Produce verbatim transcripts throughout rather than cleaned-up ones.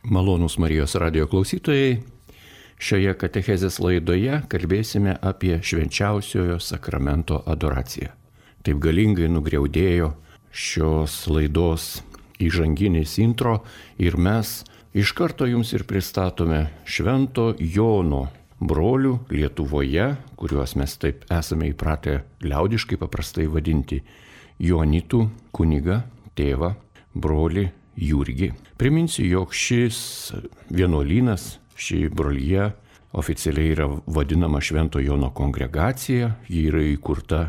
Malonūs Marijos radijo klausytojai, šioje katechezės laidoje kalbėsime apie švenčiausiojo sakramento adoraciją. Taip galingai nugriaudėjo šios laidos įžanginis intro ir mes iš karto jums ir pristatome Švento Jono brolių Lietuvoje, kuriuos mes taip esame įpratę liaudiškai paprastai vadinti Joanitų kunigą, tėvą, brolį Jurgį. Priminsiu, jog šis vienuolynas, ši brolyje oficialiai yra vadinama Švento Jono kongregacija. Ji yra įkurta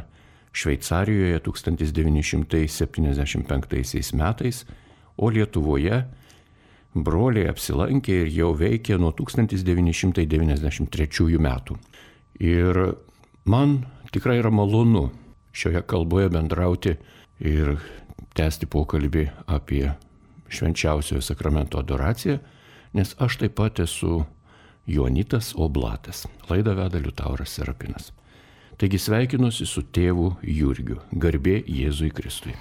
Šveicarijoje tūkstantis devyni šimtai septyniasdešimt penktaisiais metais, o Lietuvoje broliai apsilankė ir jau veikė nuo tūkstantis devyni šimtai devyniasdešimt trečiųjų metų. Ir man tikrai yra malonu šioje kalboje bendrauti ir tęsti pokalbį apie švenčiausiojo sakramento adoraciją, nes aš taip pat esu Joanitas Oblatas. Laidą veda Liutauras Serapinas. Taigi sveikinuosi su tėvu Jurgiu. Garbė Jėzui Kristui.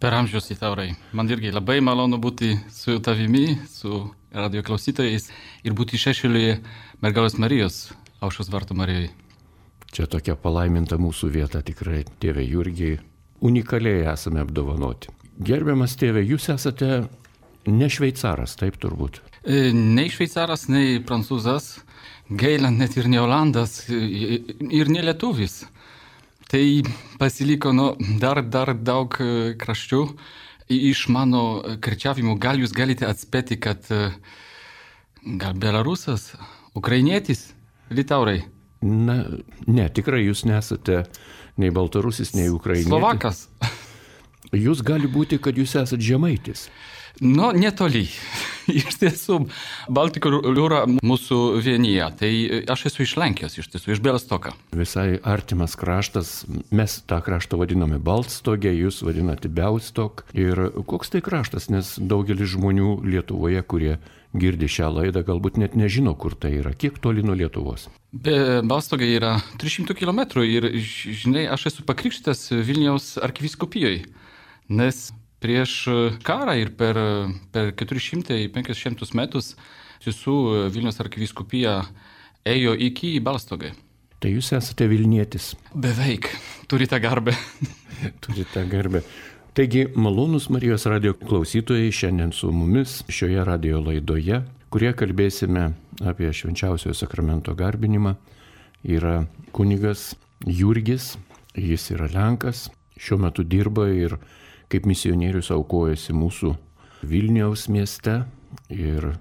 Per amžius, Liutaurai. Man irgi labai malonu būti su tavimi, su radio klausytojais ir būti šešėlyje Mergelės Marijos, Aušros vartų Marijai. Čia tokia palaiminta mūsų vieta tikrai, tėve Jurgiai. Unikaliai esame apdovanoti. Gerbiamas tėve, jūs esate ne šveicaras, taip turbūt? Nei šveicaras, nei prancūzas, gaila net ir ne olandas, ir ne lietuvis. Tai pasiliko nu, dar, dar daug kraščių iš mano kirčiavimų. Gal jūs galite atspėti, kad gal belarusas, ukrainietis, Liutaurai? Na, ne, tikrai jūs nesate nei baltarusis, nei ukrainietis. Slovakas. Jūs gali būti, kad jūs esate žemaitis. Nu, netoli. Iš tiesų, Baltikų jūra mūsų vienyje. Tai aš esu iš Lenkijos, iš tiesų, iš Białestoka. Visai artimas kraštas. Mes tą kraštą vadiname Baltstogė, jūs vadinate Białystok. Ir koks tai kraštas, nes daugelis žmonių Lietuvoje, kurie girdi šią laidą, galbūt net nežino, kur tai yra. Kiek toli nuo Lietuvos? Be Balstogė yra tris šimtus kilometrų ir, žinai, aš esu pakrikštytas Vilniaus arkivyskupijoje, nes prieš karą ir per, per keturi šimtai penkis metus visų Vilniaus arkivyskupija ėjo iki Balstogė. Tai jūs esate Vilnietis? Beveik. Turite garbę. Turite garbę. Taigi, malonūs Marijos radijo klausytojai, šiandien su mumis šioje radijo laidoje, kurie kalbėsime apie švenčiausiojo sakramento garbinimą, yra kunigas Jurgis. Jis yra Lenkas, šiuo metu dirba ir kaip misionierius aukojasi mūsų Vilniaus mieste ir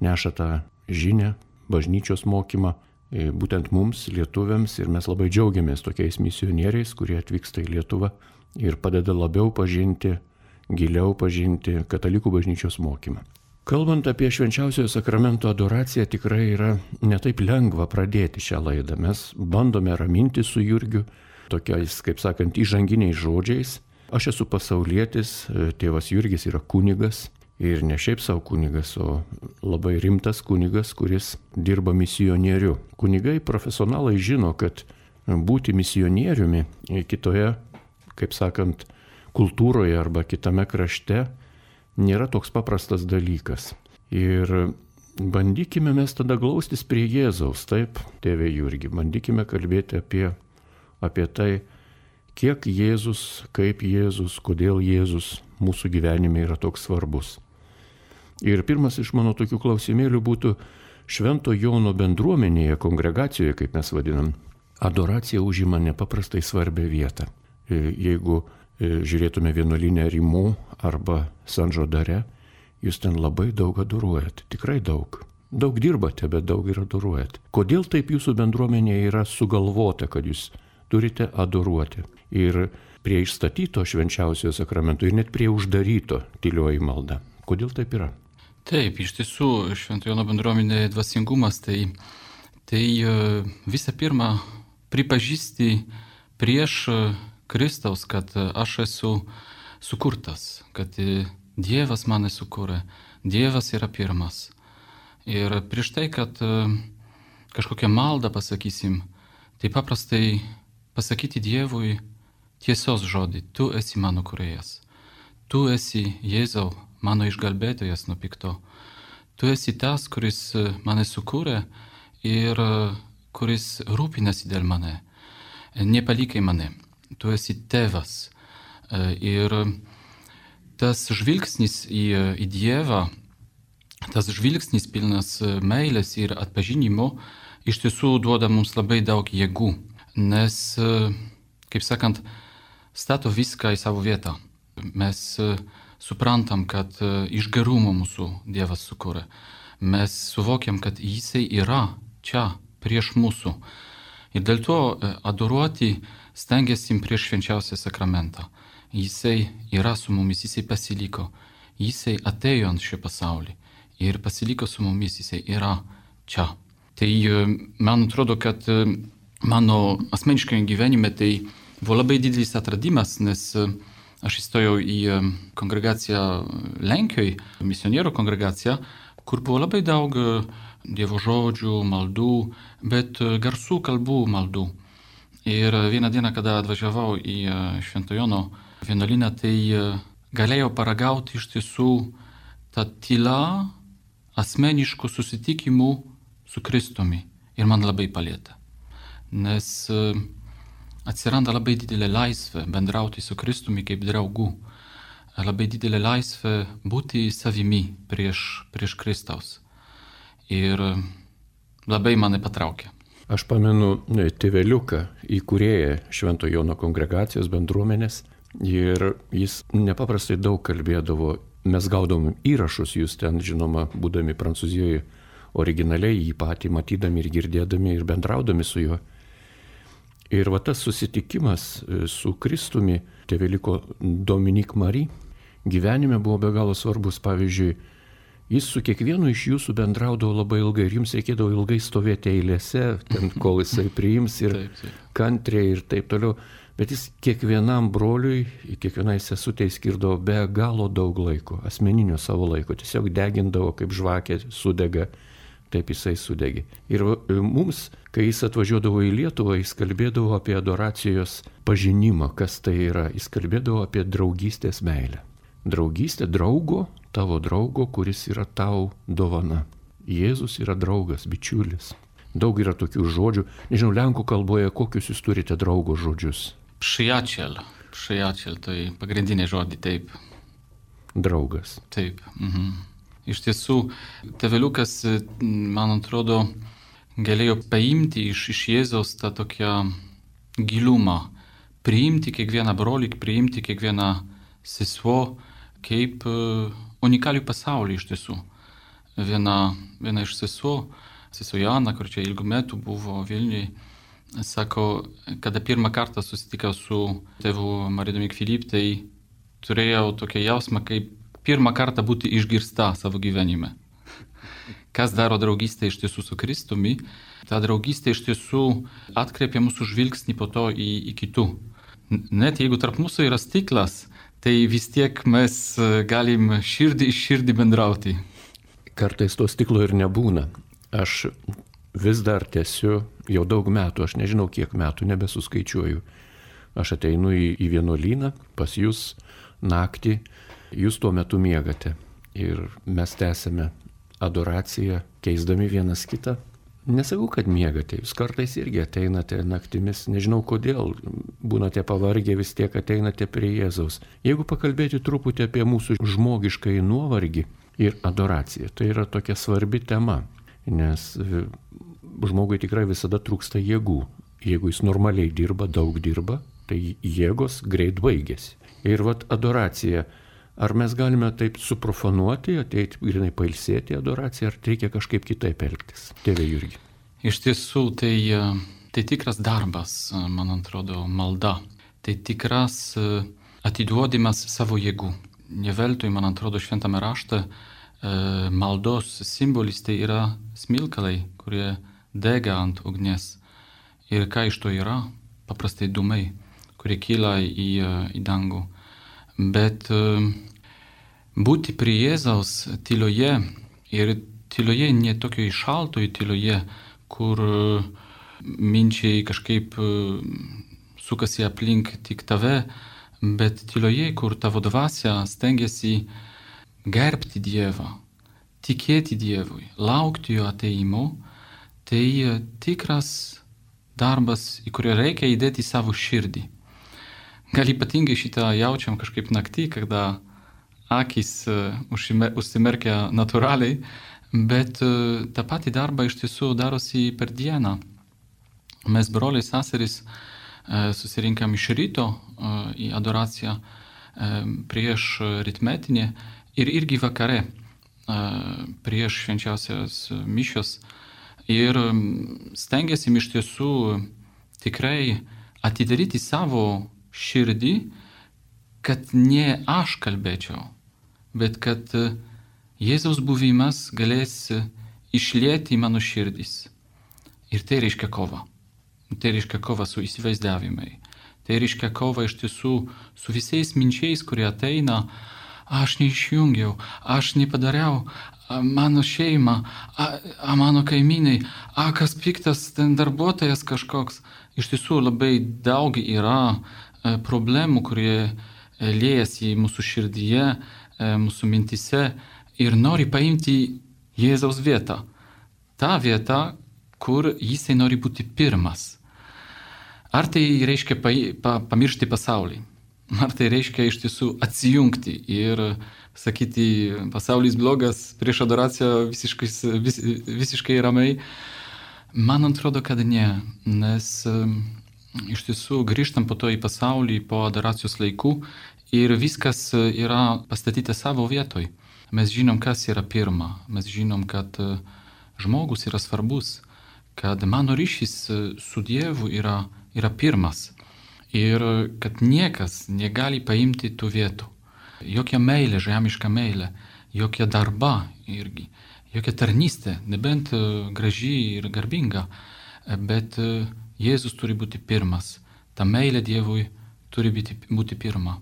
neša tą žinią, bažnyčios mokymą būtent mums, lietuviams, ir mes labai džiaugiamės tokiais misionieriais, kurie atvyksta į Lietuvą ir padeda labiau pažinti, giliau pažinti katalikų bažnyčios mokymą. Kalbant apie švenčiausiojo sakramento adoraciją, tikrai yra netaip lengva pradėti šią laidą. Mes bandome raminti su Jurgiu tokiais, kaip sakant, įžanginiais žodžiais. Aš esu pasaulietis, tėvas Jurgis yra kunigas ir ne šiaip savo kunigas, o labai rimtas kunigas, kuris dirba misionieriu. Kunigai profesionalai žino, kad būti misionieriumi kitoje, kaip sakant, kultūroje arba kitame krašte nėra toks paprastas dalykas. Ir bandykime mes tada glaustis prie Jėzaus, taip, tėve Jurgi, bandykime kalbėti apie, apie tai, kiek Jėzus, kaip Jėzus, kodėl Jėzus mūsų gyvenime yra toks svarbus. Ir pirmas iš mano tokių klausimėlių būtų Švento Jono bendruomenėje, kongregacijoje, kaip mes vadinam, adoracija užima nepaprastai svarbią vietą. Jeigu žiūrėtume vienuolinę Rimų arba Sanžodare, jūs ten labai daug adoruojat, tikrai daug. Daug dirbate, bet daug ir adoruojat. Kodėl taip jūsų bendruomenėje yra sugalvota, kad jūs turite adoruoti? Ir prie išstatyto švenčiausiojo sakramento ir net prie uždaryto tylioji malda. Kodėl taip yra? Taip, iš tiesų, Švento Jono bendruomenė dvasingumas, tai, tai visą pirma pripažįsti prieš Kristaus, kad aš esu sukurtas, kad Dievas mane sukūrė, Dievas yra pirmas. Ir prieš tai, kad kažkokią maldą pasakysim, tai paprastai pasakyti Dievui tiesos žodį, tu esi mano kūrėjas, tu esi Jėzau, mano išgelbėtojas nuo pikto, tu esi tas, kuris mane sukūrė ir kuris rūpinasi dėl mane. Nepalikai mane. Tu esi tėvas. Ir tas žvilgsnis į, į Dievą, tas žvilgsnis pilnas meilės ir atpažinimo iš tiesų duoda mums labai daug jėgų, nes, kaip sakant, stato viską į savo vietą. Mes suprantam, kad iš gerumo mūsų Dievas sukūrė. Mes suvokiam, kad Jisai yra čia, prieš mūsų. Ir dėl to adoruoti stengiasi prieš švenčiausią sakramentą. Jisai yra su mumis, Jisai pasiliko. Jisai atėjo ant šio pasaulį ir pasiliko su mumis, Jisai yra čia. Tai man atrodo, kad mano asmeniškame gyvenime tai buvo labai didelis atradimas, nes aš įstojau į kongregaciją Lenkijoje, misionierių kongregaciją, kur buvo labai daug Dievo žodžių, maldų, bet garsų kalbų maldų. Ir vieną dieną, kada atvažiavau į Švento Jono vienuolyną, tai galėjau paragauti iš tiesų tą tylą asmeniškų susitikimų su Kristumi. Ir man labai palėtė. Nes atsiranda labai didelė laisvė bendrauti su Kristumi kaip draugu. Labai didelė laisvė būti savimi prieš, prieš Kristaus. Ir labai mane patraukė. Aš pamenu tėveliuką, įkūrėją Švento Jono kongregacijos bendruomenės, ir jis nepaprastai daug kalbėdavo. Mes gaudom įrašus, jūs ten, žinoma, būdami Prancūzijoje, originaliai jį patį matydami ir girdėdami ir bendraudami su juo. Ir va tas susitikimas su Kristumi, tėveliko Dominik Marie, gyvenime buvo be galo svarbus. Pavyzdžiui, jis su kiekvienu iš jūsų bendraudavo labai ilgai ir jums reikėdavo ilgai stovėti eilėse, ten, kol jisai priims ir taip, taip. Kantriai ir taip toliau. Bet jis kiekvienam broliui, kiekvienai sesutei skirdavo be galo daug laiko, asmeninio savo laiko. Tiesiog degindavo kaip žvakė sudega, taip jisai sudegė. Ir mums, kai jis atvažiuodavo į Lietuvą, jis kalbėdavo apie adoracijos pažinimą, kas tai yra. Jis kalbėdavo apie draugystės meilę. Draugystė draugo, tavo draugo, kuris yra tau dovana. Jėzus yra draugas, bičiulis. Daug yra tokių žodžių. Nežinau, lenkų kalboje kokius jūs turite draugo žodžius? Przyjaciel. Przyjaciel, tai pagrindiniai žodį, taip. Draugas. Taip. Mhm. Iš tiesų, tėveliukas, man atrodo, galėjo paimti iš, iš Jėzaus tą tokią gilumą. Priimti kiekvieną brolį, priimti kiekvieną sesuo kaip unikalių pasaulį iš tiesų. Viena, viena iš sesuo, sesuo Jana, kur čia ilgų metų buvo Vilniuje, sako, kada pirmą kartą susitikau su tėvu Marija Dominik Filip, tai turėjau tokią jausmą, kaip pirmą kartą būti išgirsta savo gyvenime. Kas daro draugystę iš tiesų su Kristumi, ta draugystė iš tiesų atkreipia mūsų žvilgsnį po to į, į kitų. Net jeigu tarp mūsų yra stiklas, tai vis tiek mes galim širdį iš širdį bendrauti. Kartais to stiklo ir nebūna. Aš vis dar tęsiu jau daug metų, aš nežinau kiek metų, nebesuskaičiuoju. Aš ateinu į, į vienuolyną, pas jūs naktį, jūs tuo metu miegate. Ir mes tęsiame adoraciją, keisdami vienas kitą. Nesakau, kad miegate, jūs kartais irgi ateinate naktimis, nežinau kodėl, būnate pavargę, vis tiek ateinate prie Jėzaus. Jeigu pakalbėti truputį apie mūsų žmogiškąjį nuovargį ir adoraciją, tai yra tokia svarbi tema, nes žmogui tikrai visada trūksta jėgų. Jeigu jis normaliai dirba, daug dirba, tai jėgos greit baigėsi. Ir vat adoracija. Ar mes galime taip suprofanuoti, ateiti grinai pailsėti adoraciją, ar reikia kažkaip kitaip elgtis? Tėve Jurgi. Iš tiesų, tai, tai tikras darbas, man atrodo, malda. Tai tikras atiduodimas savo jėgų. Ne veltui, man atrodo, šventame rašte maldos simbolis tai yra smilkalai, kurie dega ant ugnies. Ir ką iš to yra? Paprastai dūmai, kurie kyla į, į dangų. Bet būti prie Jėzaus tyloje ir tyloje ne tokioje šaltoje tyloje, kur minčiai kažkaip sukasi aplink tik tave, bet tyloje, kur tavo dvasia stengiasi gerbti Dievą, tikėti Dievui, laukti jo ateimo, tai tikras darbas, į kurį reikia įdėti savo širdį. Gal ypatingai šitą jaučiam kažkaip naktį, kada akis užsimerkia natūraliai, bet tą patį darbą iš tiesų darosi per dieną. Mes broliai seserys susirinkam iš ryto į adoraciją prieš rytmetinį ir irgi vakare prieš švenčiausios mišios ir stengiasi iš tiesų tikrai atidaryti savo širdį, kad ne aš kalbėčiau, bet kad Jėzaus buvimas galės išlieti į mano širdis. Ir tai reiškia kova. Tai reiškia kova su įsivaizdavimai. Tai reiškia kova iš tiesų su visais minčiais, kurie ateina. Aš neišjungiau, aš nepadariau, mano šeima, a, a mano kaimynai, a kas piktas ten darbuotojas kažkoks. Iš tiesų labai daug yra problemų, kurie liejasi mūsų širdyje, mūsų mintise ir nori paimti Jėzaus vietą. Ta vieta, kur jisai nori būti pirmas. Ar tai reiškia pa, pa, pamiršti pasaulį? Ar tai reiškia iš tiesų atsijungti ir sakyti, pasaulis blogas, prieš adoraciją visiškai, vis, visiškai ramiai? Man atrodo, kad ne, nes iš tiesų grįžtam po to į pasaulį, po adoracijos laikų ir viskas yra pastatyta savo vietoj. Mes žinom, kas yra pirma. Mes žinom, kad žmogus yra svarbus, kad mano ryšys su Dievu yra, yra pirmas ir kad niekas negali paimti tų vietų. Jokia meilė, žemiška meilė, jokia darba irgi, jokia tarnystė, nebent graži ir garbinga, bet Jėzus turi būti pirmas. Ta meilė Dievui turi būti, būti pirma.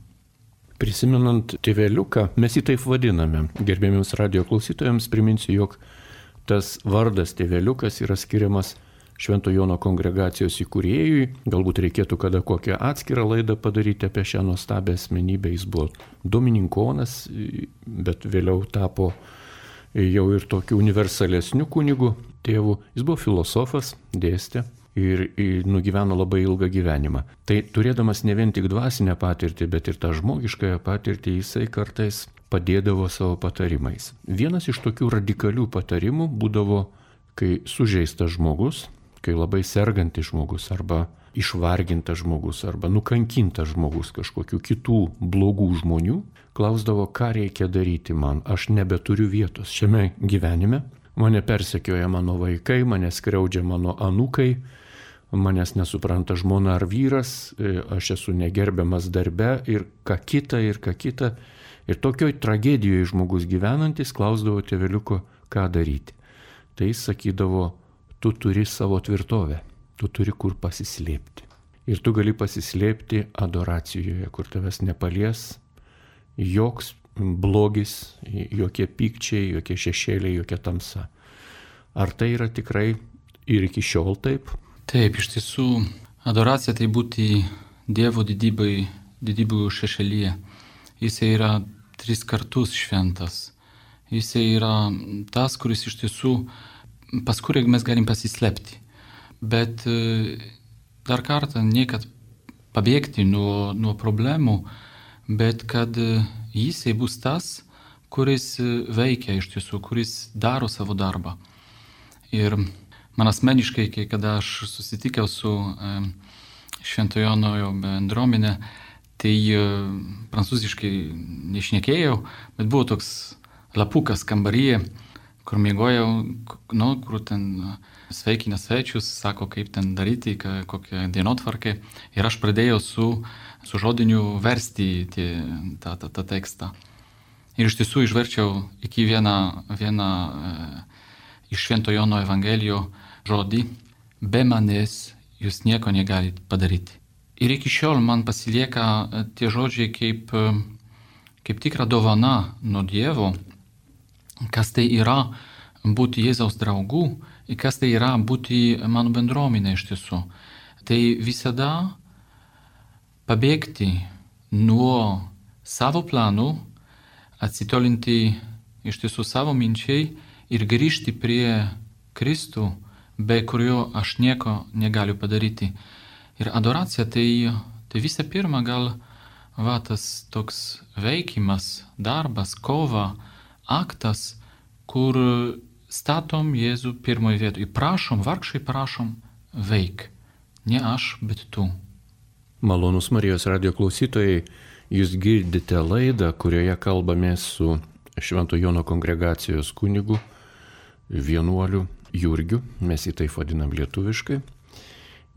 Prisimenant tėveliuką, mes jį taip vadiname. Gerbėmiams radio klausytojams priminsiu, jog tas vardas tėveliukas yra skiriamas Švento Jono kongregacijos įkūrėjui. Galbūt reikėtų kada kokią atskirą laidą padaryti apie šią nuostabią asmenybę. Jis buvo dominikonas, bet vėliau tapo jau ir tokiu universalesniu kunigu tėvu. Jis buvo filosofas, dėstė. Ir, ir nugyveno labai ilgą gyvenimą. Tai turėdamas ne vien tik dvasinę patirtį, bet ir tą žmogiškąją patirtį, jisai kartais padėdavo savo patarimais. Vienas iš tokių radikalių patarimų būdavo, kai sužeistas žmogus, kai labai sergantis žmogus, arba išvargintas žmogus, arba nukankintas žmogus kažkokių kitų blogų žmonių, klausdavo, ką reikia daryti man, aš nebeturiu vietos šiame gyvenime, mane persekioja mano vaikai, mane skriaudžia mano anūkai, manęs nesupranta žmona ar vyras, aš esu negerbiamas darbe ir ką kita, ir ką kita. Ir tokioj tragedijoje žmogus gyvenantis klausdavo tėveliuko, ką daryti. Tai jis sakydavo, tu turi savo tvirtovę, tu turi kur pasislėpti. Ir tu gali pasislėpti adoracijoje, kur tavęs nepalies joks blogis, jokie pykčiai, jokie šešėliai, jokia tamsa. Ar tai yra tikrai ir iki šiol taip? Taip, iš tiesų, adoracija tai būti Dievo didybai, didybių šešėlyje. Jis yra tris kartus šventas. Jis yra tas, kuris iš tiesų, pas kurį mes galim pasislėpti. Bet dar kartą, ne kad pabėgti nuo, nuo problemų, bet kad jisai bus tas, kuris veikia iš tiesų, kuris daro savo darbą. Ir man asmeniškai, kai kada aš susitikau su e, Švento Jono bendruomenė, tai e, prancūziškai nešnekėjau, bet buvo toks lapukas kambaryje, kur miegojau, nu, kur ten sveikina svečius, sako, kaip ten daryti, kokią dienotvarkę. Ir aš pradėjau su, su žodiniu versti tie, tą, tą, tą tekstą. Ir iš tiesų išverčiau iki vieną, vieną e, iš Švento Jono Evangelijo žodį, be manęs jūs nieko negalite padaryti. Ir iki šiol man pasilieka tie žodžiai kaip, kaip tikra dovana nuo Dievo, kas tai yra būti Jėzaus draugų ir kas tai yra būti mano bendruomenė iš tiesų. Tai visada pabėgti nuo savo planų, atsitolinti iš tiesų savo minčiai ir grįžti prie Kristų, be kurio aš nieko negaliu padaryti. Ir adoracija tai, tai visą pirma gal va, tas toks veikimas, darbas, kova, aktas, kur statom Jėzų pirmoje vietoje. Prašom, vargšai prašom, veik. Ne aš, bet tu. Malonūs Marijos radijo klausytojai, jūs girdite laidą, kurioje kalbame su Švento Jono kongregacijos kunigu, vienuoliu Jurgiu, mes jį taip vadinam lietuviškai.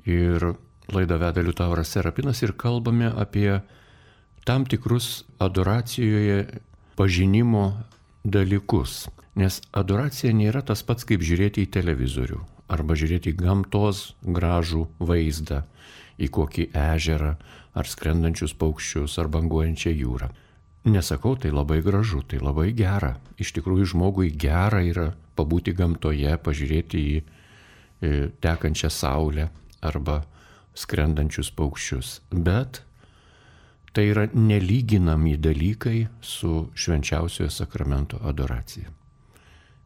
Ir laidą veda Liutauras Serapinas ir kalbame apie tam tikrus adoracijoje pažinimo dalykus. Nes adoracija nėra tas pats, kaip žiūrėti į televizorių arba žiūrėti į gamtos gražų vaizdą, į kokį ežerą ar skrendančius paukščius ar banguojančią jūrą. Nesakau, tai labai gražu, tai labai gera. Iš tikrųjų, žmogui gera yra pabūti gamtoje, pažiūrėti į tekančią saulę arba skrendančius paukščius. Bet tai yra nelyginami dalykai su švenčiausiojo sakramento adoracija.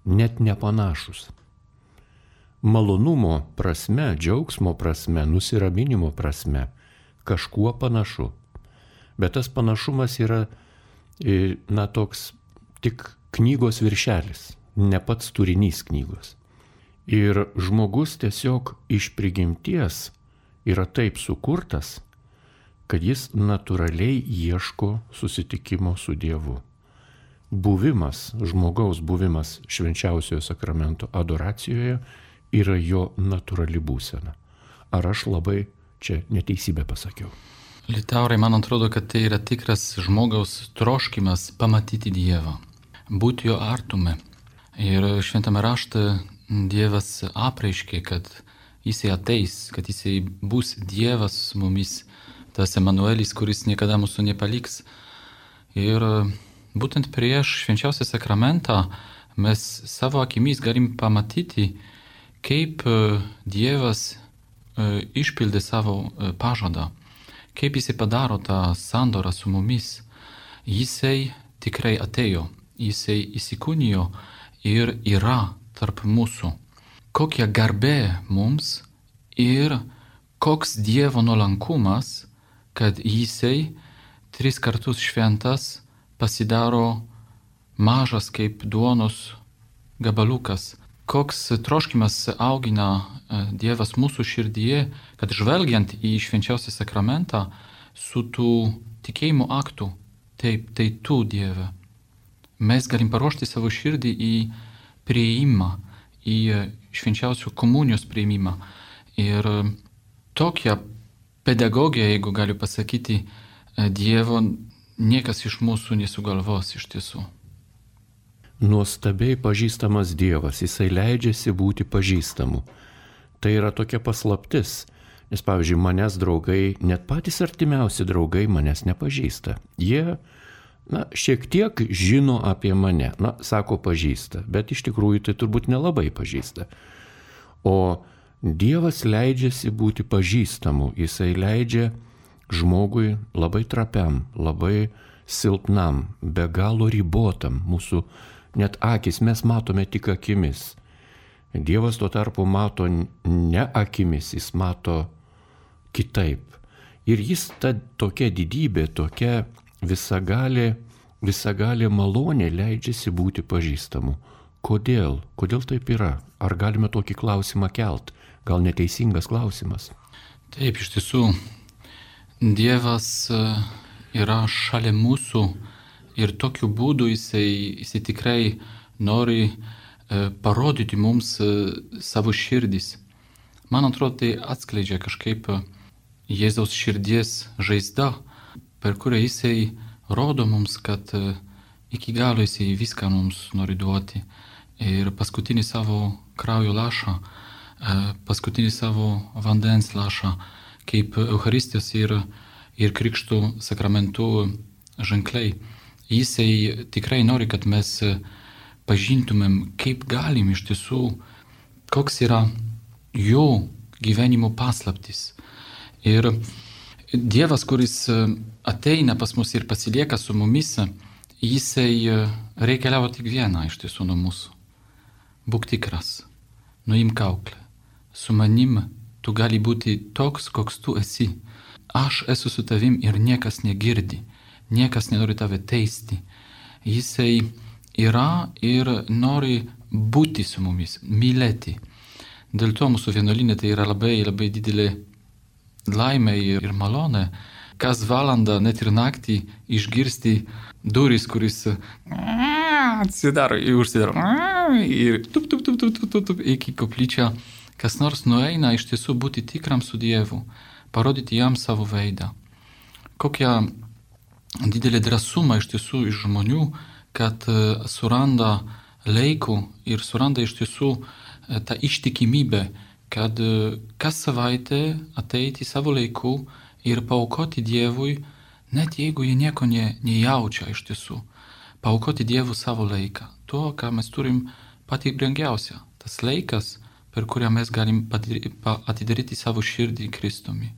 Net nepanašus. Malonumo prasme, džiaugsmo prasme, nusiraminimo prasme kažkuo panašu. Bet tas panašumas yra, na, toks tik knygos viršelis, ne pats turinys knygos. Ir žmogus tiesiog iš prigimties yra taip sukurtas, kad jis natūraliai ieško susitikimo su Dievu. Buvimas, žmogaus buvimas švenčiausiojo sakramento adoracijoje yra jo natūrali būsena. Ar aš labai čia neteisybę pasakiau? Liutaurai, man atrodo, kad tai yra tikras žmogaus troškimas pamatyti Dievą, būti jo artume. Ir šventame rašte Dievas apreiškė, kad jisai ateis, kad jisai bus Dievas su mumis, tas Emanuelis, kuris niekada mūsų nepaliks. Ir būtent prieš švenčiausią sakramentą mes savo akimis galim pamatyti, kaip Dievas išpildė savo pažadą, kaip jisai padaro tą sandorą su mumis. Jisai tikrai atėjo, jisai įsikūnijo ir yra tarp mūsų. Kokia garbė mums ir koks Dievo nuolankumas, kad jisai tris kartus šventas pasidaro mažas kaip duonos gabaliukas. Koks troškimas augina Dievas mūsų širdyje, kad žvelgiant į švenčiausią sakramentą su tų tikėjimo aktų, taip, tai tu, Dieve, mes galim paruošti savo širdį į priėjimą, į švenčiausių komunijos priėjimą. Ir tokia pedagogija, jeigu galiu pasakyti, Dievo niekas iš mūsų nesugalvos iš tiesų. Nuostabiai pažįstamas Dievas, jisai leidžiasi būti pažįstamu. Tai yra tokia paslaptis, nes pavyzdžiui, manęs draugai, net patys artimiausi draugai manęs nepažįsta. Jie, na, šiek tiek žino apie mane, na, sako pažįsta, bet iš tikrųjų tai turbūt nelabai pažįsta. O Dievas leidžiasi būti pažįstamu, jisai leidžia žmogui labai trapiam, labai silpnam, be galo ribotam, mūsų net akis mes matome tik akimis. Dievas tuo tarpu mato ne akimis, jis mato kitaip. Ir jis ta tokia didybė, tokia visagalė, visagalė malonė leidžiasi būti pažįstamu. Kodėl? Kodėl taip yra? Ar galime tokį klausimą kelt? Gal neteisingas klausimas? Taip, iš tiesų, Dievas yra šalia mūsų ir tokiu būdu jisai, jisai tikrai nori parodyti mums savo širdis. Man atrodo, tai atskleidžia kažkaip Jėzaus širdies žaizda, per kurią jisai rodo mums, kad iki galo jisai viską mums nori duoti. Ir paskutinį savo kraujo lašą, paskutinį savo vandens lašą, kaip Eucharistijos ir, ir Krikšto sakramentų ženkliai. Jisai tikrai nori, kad mes pažintumėm, kaip galim iš tiesų, koks yra jo gyvenimo paslaptis. Ir Dievas, kuris ateina pas mus ir pasilieka su mumis, jisai reikaliavo tik vieną iš tiesų nuo mūsų. Būk tikras, nuimk kauklę. Su manim tu gali būti toks, koks tu esi. Aš esu su tavim ir niekas negirdi, niekas nenori tave teisti. Jisai yra ir nori būti su mumis, mylėti. Dėl to mūsų vienuolinė tai yra labai, labai didelė laimė ir malonė. Kas valandą, net ir naktį išgirsti duris, kuris atsidaro ir užsidaro ir tup, tup, tup, tup, tup, tup, iki koplyčią. Kas nors nueina iš tiesų būti tikram su Dievu, parodyti jam savo veidą. Kokia didelė drąsuma iš tiesų iš žmonių, kad suranda laikų ir suranda iš tiesų tą ištikimybę, kad kas savaitę ateiti savo laiku ir paaukoti Dievui, net jeigu jie nieko ne, nejaučia iš tiesų. Paaukoti Dievui savo laiką. Tuo, ką mes turim patį brangiausią. Tas laikas, per kurią mes galim atidaryti savo širdį Kristumi.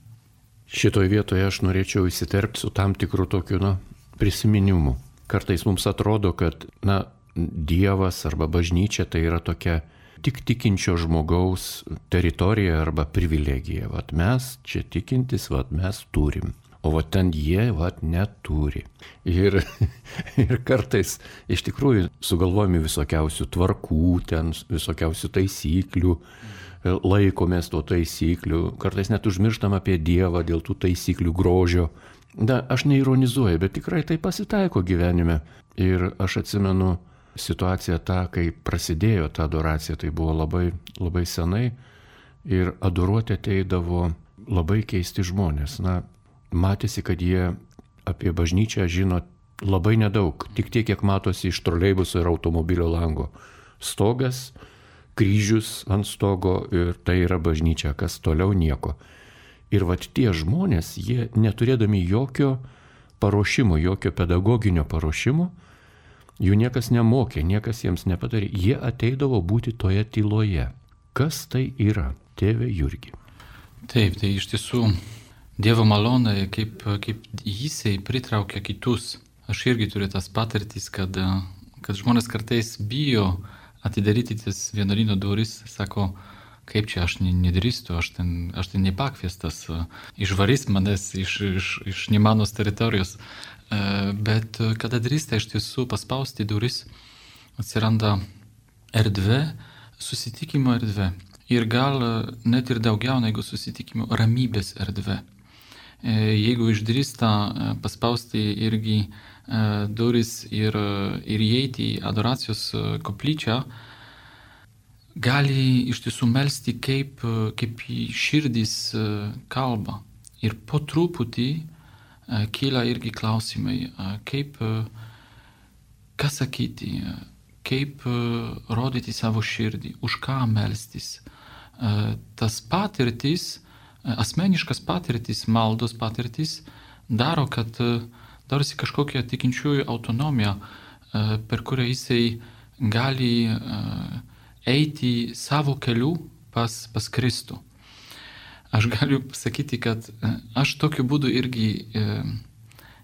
Šitoje vietoje aš norėčiau įsiterpti su tam tikru tokiu na, prisiminimu. Kartais mums atrodo, kad na, Dievas arba bažnyčia tai yra tokia tik tikinčio žmogaus teritorija arba privilegija. Vat mes čia tikintis, vat mes turim. O vat ten jie vat neturi. Ir, ir kartais iš tikrųjų sugalvojami visokiausių tvarkų, ten visokiausių taisyklių, laikomės to taisyklių, kartais net užmirštam apie Dievą dėl tų taisyklių grožio. Na, aš neironizuoju, bet tikrai tai pasitaiko gyvenime. Ir aš atsimenu situaciją tą, kai prasidėjo ta adoracija, tai buvo labai, labai senai ir adoruoti ateidavo labai keisti žmonės. Na, matėsi, kad jie apie bažnyčią žino labai nedaug, tik tiek, kiek matosi iš troleibuso ir automobilio lango. Stogas, kryžius ant stogo ir tai yra bažnyčia, kas toliau nieko. Ir vat tie žmonės, jie neturėdami jokio paruošimo, jokio pedagoginio paruošimo, jų niekas nemokė, niekas jiems nepadarė. Jie ateidavo būti toje tyloje. Kas tai yra, tėve Jurgi? Taip, tai iš tiesų Dievo malonė, kaip, kaip jisai pritraukia kitus. Aš irgi turiu tas patirtis, kad, kad žmonės kartais bijo atidaryti tas vienuolyno duris, sako, kaip čia aš nedrįstu, aš ten, aš ten nepakviestas, išvarys manęs iš, iš, iš nemanos teritorijos. Bet kada drįsta iš tiesų paspausti duris, atsiranda erdvė, susitikimo erdvė. Ir gal net ir daugiau negu susitikimo, ramybės erdvė. Jeigu išdrįsta paspausti irgi duris ir, ir įeiti į adoracijos koplyčią, gali iš tiesų melsti kaip, kaip širdis kalba. Ir po truputį kyla irgi klausimai, kaip, ką sakyti, kaip rodyti savo širdį, už ką melstis. Tas patirtis, asmeniškas patirtis, maldos patirtis daro, kad darosi kažkokia tikinčiųjų autonomija, per kurią jisai gali eiti savo keliu pas, pas Kristų. Aš galiu pasakyti, kad aš tokiu būdu irgi e,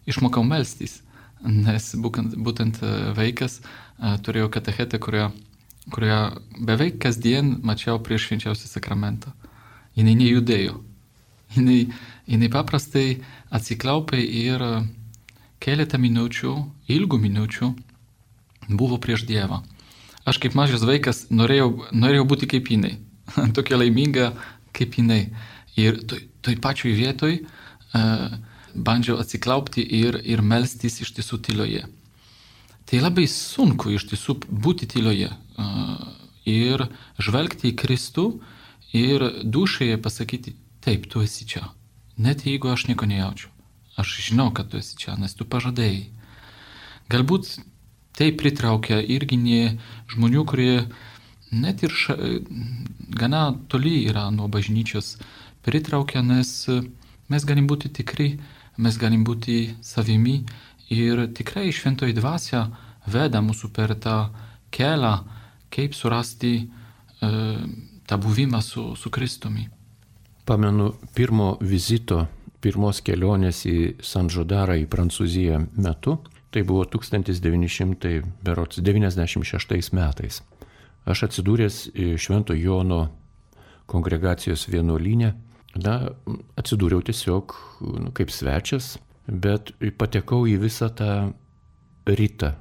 išmokau melstis, nes būtent, būtent vaikas e, turėjau katechetę, kurią, kurią beveik kasdien mačiau prieš švenčiausią sakramentą. Jinai nejudėjo. Jinai, jinai paprastai atsiklaupė ir keletą minučių, ilgų minučių buvo prieš Dievą. Aš kaip mažas vaikas norėjau, norėjau būti kaip jinai, tokia laiminga kaip jinai. Ir toj, toj pačioj vietoj uh, bandžiau atsiklaupti ir, ir melstis iš tiesų tyloje. Tai labai sunku iš tiesų būti tyloje uh, ir žvelgti į Kristų ir dušėje pasakyti, taip, tu esi čia. Net jeigu aš nieko nejaučiu. Aš žinau, kad tu esi čia, nes tu pažadėjai. Galbūt tai pritraukia irgi ne žmonių, kurie net ir ša, gana toli yra nuo bažnyčios, pritraukia, nes mes galim būti tikri, mes galim būti savimi ir tikrai šventoji dvasia veda mūsų per tą kelią, kaip surasti e, tą buvimą su, su Kristumi. Pamenu pirmo vizito, pirmos kelionės į San Žodarą į Prancūziją metu, Tai buvo tūkstantis devyni šimtai devyniasdešimt šeštais metais. Aš atsidūręs Švento Jono kongregacijos vienuolyne, na, atsidūriau tiesiog nu, kaip svečias, bet patekau į visą tą rytą,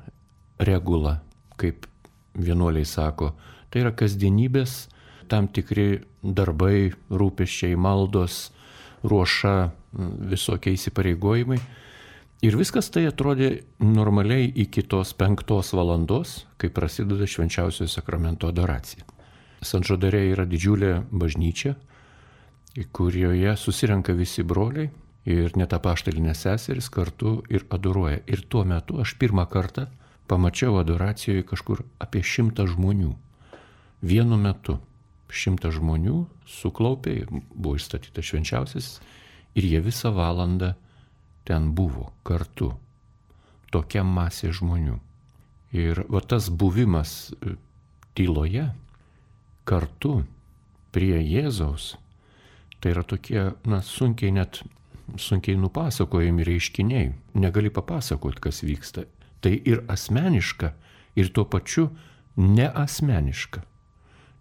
regulą, kaip vienuoliai sako. Tai yra kasdienybės, tam tikri darbai, rūpesčiai, maldos, ruoša, visokie įsipareigojimai. Ir viskas tai atrodė normaliai iki tos penktos valandos, kai prasideda švenčiausiojo sakramento adoracija. Sanžodare yra didžiulė bažnyčia, kurioje susirenka visi broliai ir net apaštalinės seserys kartu ir adoruoja. Ir tuo metu aš pirmą kartą pamačiau adoracijoje kažkur apie šimtą žmonių. Vienu metu šimtą žmonių suklaupė, buvo išstatytas švenčiausias ir jie visą valandą ten buvo kartu. Tokia masė žmonių. Ir va tas buvimas tyloje kartu prie Jėzaus, tai yra tokie, na, sunkiai net, sunkiai nupasakojami reiškiniai. Negali papasakoti, kas vyksta. Tai ir asmeniška, ir tuo pačiu neasmeniška.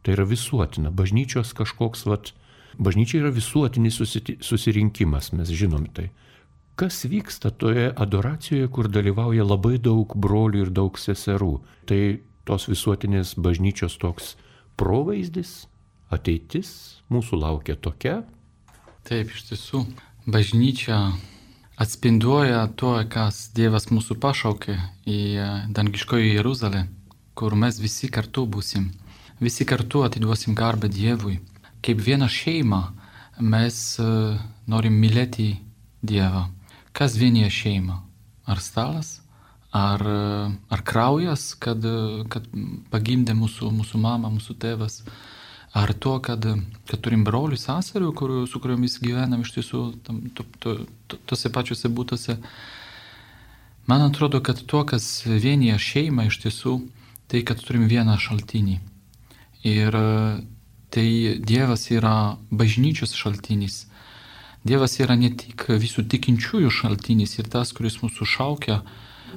Tai yra visuotina. Bažnyčios kažkoks, vat, bažnyčia yra visuotinis susirinkimas, mes žinom tai. Kas vyksta toje adoracijoje, kur dalyvauja labai daug brolių ir daug seserų? Tai tos visuotinės bažnyčios toks provaizdis, ateitis mūsų laukia tokia. Taip, iš tiesų, bažnyčia atspinduoja to, kas Dievas mūsų pašaukė į dangiškoji Jeruzalę, kur mes visi kartu būsim. Visi kartu atiduosim garbę Dievui. Kaip viena šeima mes norim mylėti Dievą. Kas vienyje šeimą? Ar stalas? Ar, ar kraujas, kad, kad pagimdė mūsų, mūsų mama, mūsų tėvas? Ar to, kad, kad turim brolių, seserių, kur, su kuriomis gyvenam iš tiesų tam, to, to, to, tose pačiose būtose? Man atrodo, kad to, kas vienyje šeimą iš tiesų, tai kad turim vieną šaltinį. Ir tai Dievas yra bažnyčios šaltinis. Dievas yra ne tik visų tikinčiųjų šaltinis ir tas, kuris mūsų šaukia,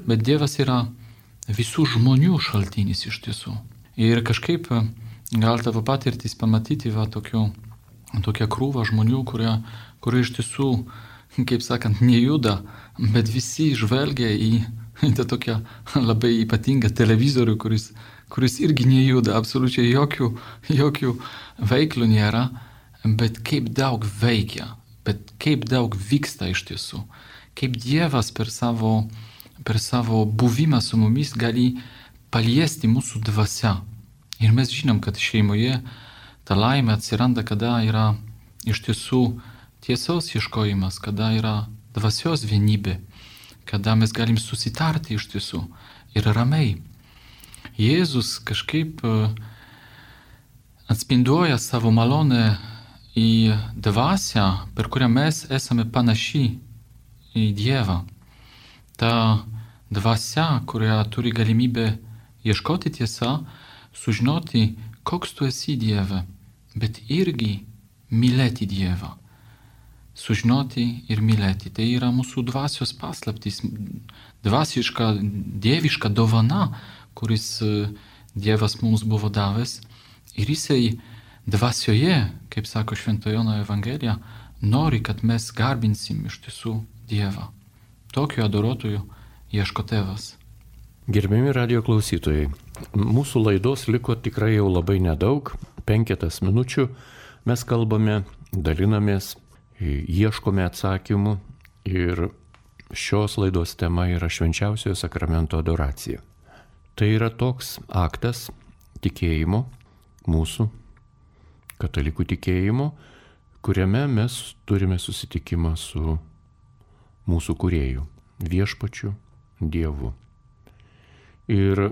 bet Dievas yra visų žmonių šaltinis iš tiesų. Ir kažkaip gal tavo patirtis pamatyti va tokių, tokią krūvą žmonių, kurie, kurie iš tiesų, kaip sakant, nejuda, bet visi žvelgia į, į tą tokią labai ypatingą televizorių, kuris, kuris irgi nejuda, absoliučiai jokių, jokių veiklų nėra, bet kaip daug veikia. Bet kaip daug vyksta iš tiesų, kaip Dievas per savo, per savo buvimą su mumis gali paliesti mūsų dvasią. Ir mes žinom, kad šeimoje ta laimė atsiranda, kada yra iš tiesų tiesos ieškojimas, kada yra dvasios vienybė, kada mes galim susitarti iš tiesų ir ramiai. Jėzus kažkaip atspinduoja savo malonę į dvasią, per kurią mes esame panaši į Dievą. Ta dvasia, kurią turi galimybę ieškoti tiesą, sužinoti, koks tu esi Dieve, bet irgi mylėti Dievą. Sužinoti ir mylėti. Tai yra mūsų dvasios paslaptis, dvasiška, dieviška dovana, kuris Dievas mums buvo davęs. Ir jisai dvasioje, kaip sako Švento Jono Evangelija, nori, kad mes garbinsim iš tiesų Dievą. Tokiu adoruotoju ieško Tėvas. Gerbiami radijo klausytojai, mūsų laidos liko tikrai jau labai nedaug, penketas minučių. Mes kalbame, dalinamės, ieškome atsakymų ir šios laidos tema yra švenčiausiojo sakramento adoracija. Tai yra toks aktas tikėjimo, mūsų katalikų tikėjimo, kuriame mes turime susitikimą su mūsų kūrėju, viešpačiu Dievu. Ir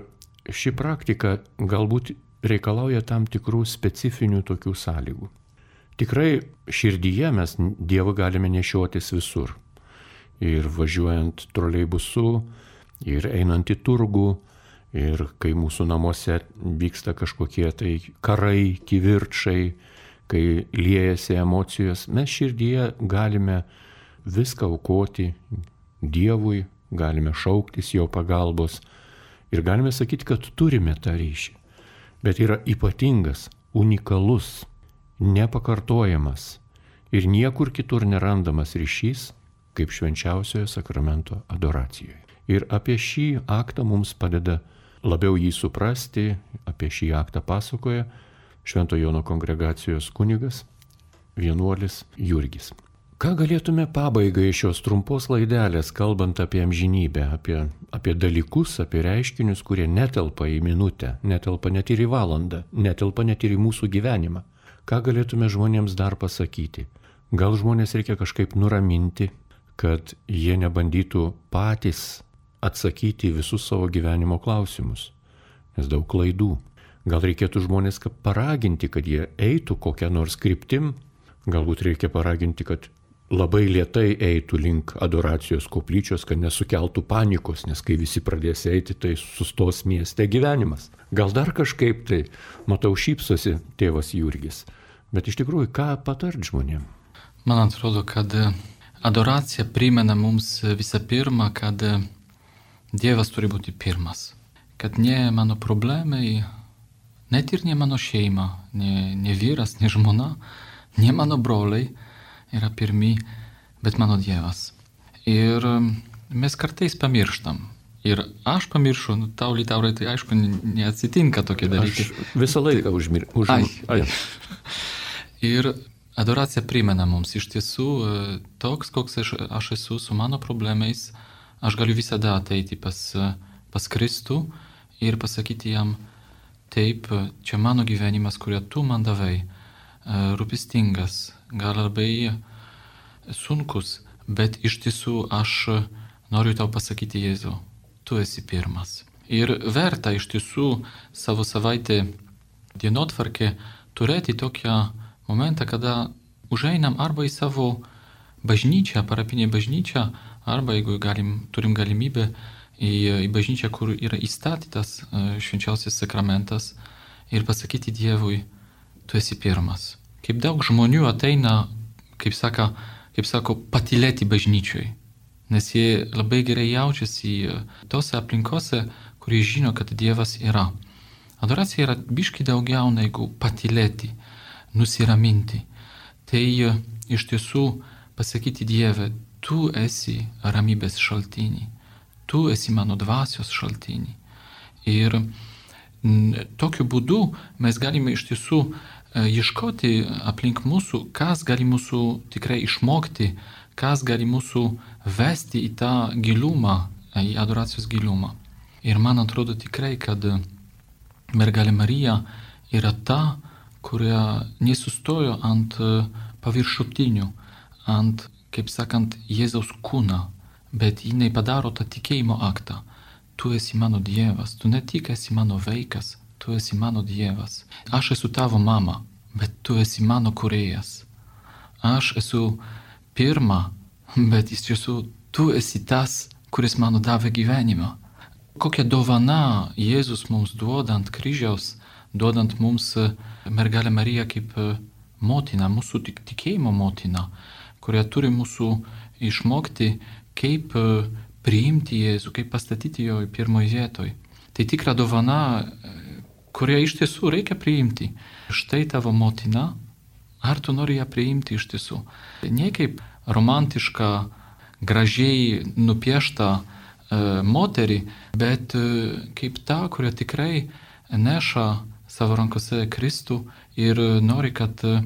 ši praktika galbūt reikalauja tam tikrų specifinių tokių sąlygų. Tikrai širdyje mes Dievą galime nešiotis visur. Ir važiuojant troleibusu, ir einant į turgų, ir kai mūsų namuose vyksta kažkokie tai karai, kivirčai, kai liejasi emocijos, mes širdyje galime viską aukoti Dievui, galime šauktis jo pagalbos ir galime sakyti, kad turime tą ryšį. Bet yra ypatingas, unikalus, nepakartojamas ir niekur kitur nerandamas ryšys kaip švenčiausiojo sakramento adoracijoje. Ir apie šį aktą mums padeda labiau jį suprasti, apie šį aktą pasakoja Švento Jono kongregacijos kunigas, vienuolis Jurgis. Ką galėtume pabaigai šios trumpos laidelės, kalbant apie amžinybę, apie, apie dalykus, apie reiškinius, kurie netelpa į minutę, netelpa net ir į valandą, netelpa net ir į mūsų gyvenimą. Ką galėtume žmonėms dar pasakyti? Gal žmonės reikia kažkaip nuraminti, kad jie nebandytų patys atsakyti visus savo gyvenimo klausimus, nes daug klaidų. Gal reikėtų žmonės paraginti, kad jie eitų kokią nors kryptim, galbūt reikia paraginti, kad labai lėtai eitų link adoracijos koplyčios, kad nesukeltų panikos, nes kai visi pradės eiti, tai sustos mieste gyvenimas. Gal dar kažkaip tai, matau, šypsosi tėvas Jurgis, bet iš tikrųjų, ką patart žmonėm? Man atrodo, kad adoracija primena mums visą pirma, kad Dievas turi būti pirmas. Kad ne mano problemai, net ir ne mano šeima, ne, ne vyras, ne žmona, ne mano broliai yra pirmi, bet mano Dievas. Ir mes kartais pamirštam. Ir aš pamiršu, nu, tau, Litaurai, tai aišku, neatsitinka tokie dalykai. Aš visą laiką užmirštu. Už... Ai, ai. Ir adoracija primena mums iš tiesų toks, koks aš, aš esu su mano problemais, aš galiu visada ateiti pas, pas Kristų ir pasakyti jam, taip, čia mano gyvenimas, kurį tu man davai, rūpestingas, gal labai sunkus, bet iš tiesų aš noriu tau pasakyti, Jėzau, tu esi pirmas. Ir verta iš tiesų savo savaitę dienotvarkę turėti tokią momentą, kada užeinam arba į savo bažnyčią, parapinę bažnyčią, arba jeigu galim, turim galimybę į, į bažnyčią, kur yra įstatytas švenčiausias sakramentas ir pasakyti Dievui, tu esi pirmas. Kaip daug žmonių ateina, kaip, saka, kaip sako, patylėti bažnyčioj, nes jie labai gerai jaučiasi tose aplinkose, kurie žino, kad Dievas yra. Adoracija yra biški daugiau negu patylėti, nusiraminti. Tai iš tiesų pasakyti Dieve, tu esi ramybės šaltinį, tu esi mano dvasios šaltinį. Ir tokiu būdu mes galime iš tiesų ieškoti aplink mūsų, kas gali mūsų tikrai išmokti, kas gali mūsų vesti į tą gilumą, į adoracijos gilumą. Ir man atrodo tikrai, kad mergelė Marija yra ta, kuria nesustojo ant paviršutinių, ant, kaip sakant, Jėzaus kūną, bet jinai padaro tą tikėjimo aktą. Tu esi mano Dievas, tu ne tik esi mano vaikas, tu esi mano Dievas. Aš esu tavo mama, bet tu esi mano kūrėjas. Aš esu pirma, bet iš tiesų tu esi tas, kuris mano davė gyvenimą. Kokia dovana Jėzus mums duoda ant kryžiaus, duodant mums mergelę Mariją kaip motiną, mūsų tikėjimo motiną, kurie turi mūsų išmokti, kaip priimti Jėzų, kaip pastatyti jo pirmoje vietoje. Tai tikra dovana, kurią iš tiesų reikia priimti. Štai tavo motina, ar tu nori ją priimti iš tiesų? Ne kaip romantiška, gražiai nupiešta e, moterį, bet e, kaip ta, kuria tikrai neša savo rankose Kristų ir nori, kad e,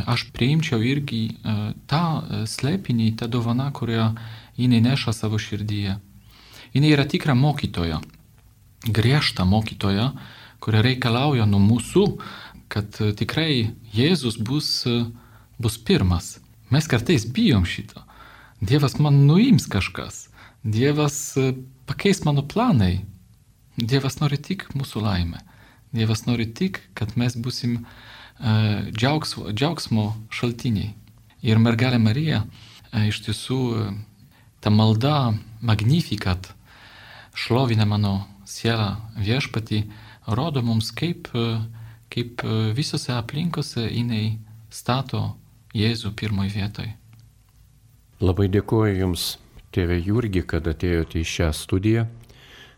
aš priimčiau irgi e, tą slėpinį, tą dovaną, kurią jinai neša savo širdyje. Jinai yra tikra mokytoja, griežta mokytoja, kuria reikalauja nuo mūsų, kad tikrai Jėzus bus, bus pirmas. Mes kartais bijom šito. Dievas man nuims kažkas. Dievas pakeis mano planai. Dievas nori tik mūsų laimę. Dievas nori tik, kad mes būsim uh, džiaugsmo, džiaugsmo šaltiniai. Ir mergelė Marija uh, iš tiesų uh, ta malda Magnificat, šlovina mano sielą viešpatį, rodo mums, kaip, uh, kaip uh, visose aplinkose jinai stato Jėzų pirmoje vietoje. Labai dėkuoju Jums, tėve Jurgi, kad atėjote į šią studiją,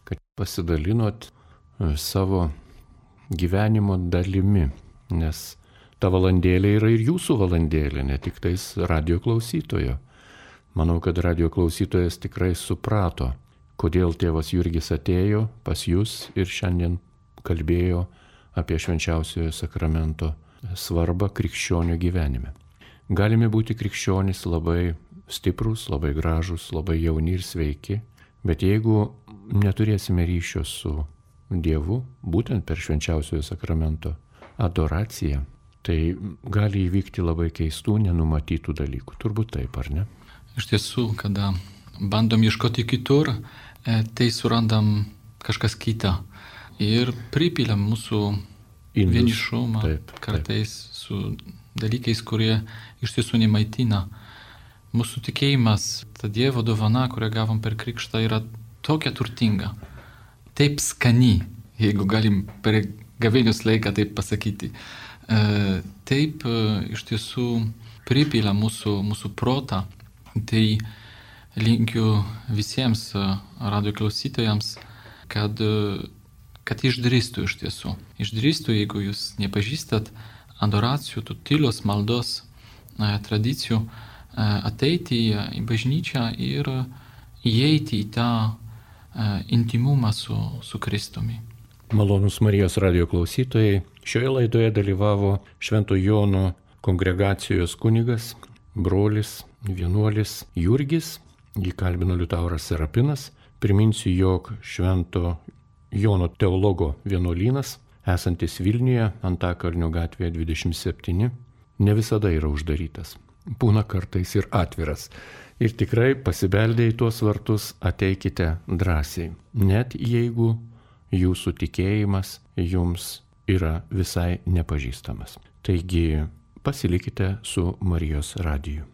kad pasidalinot savo gyvenimo dalimi, nes ta valandėlė yra ir jūsų valandėlė, ne tik tais radio klausytojo. Manau, kad radio klausytojas tikrai suprato, kodėl tėvas Jurgis atėjo pas jūs ir šiandien kalbėjo apie švenčiausiojo sakramento svarbą krikščionio gyvenime. Galime būti krikščionys labai stiprus, labai gražus, labai jauni ir sveiki, bet jeigu neturėsime ryšio su Dievu, būtent per švenčiausiojo sakramento adoraciją, tai gali įvykti labai keistų, nenumatytų dalykų. Turbūt taip, ar ne? Iš tiesų, kada bandom ieškoti kitur, tai surandam kažkas kita ir pripiliam mūsų Indus. vienišumą Taip, kartais taip. Su dalykais, kurie iš tiesų nemaitina. Mūsų tikėjimas, ta Dievo dovana, kurią gavom per krikštą, yra tokia turtinga, taip skani, jeigu galim per gavėnios laiką taip pasakyti. Taip iš tiesų pripila mūsų, mūsų protą. Tai linkiu visiems radio klausytojams, kad, kad išdrįstų iš tiesų. Išdrįstų, jeigu jūs nepažįstat adoracijų, tų tylos maldos tradicijų, ateiti į bažnyčią ir įeiti į tą intimumą su, su Kristumi. Malonūs Marijos radio klausytojai, šioje laidoje dalyvavo Švento Jono kongregacijos kunigas, brolis, vienuolis Jurgis, jį kalbino Liutauras Serapinas. Priminsiu, jog Švento Jono teologo vienuolynas, esantis Vilniuje, Antakalnio gatvėje dvidešimt septyni, ne visada yra uždarytas. Būna kartais ir atviras. Ir tikrai pasibeldę į tuos vartus ateikite drąsiai, net jeigu jūsų tikėjimas jums yra visai nepažįstamas. Taigi pasilikite su Marijos radiju.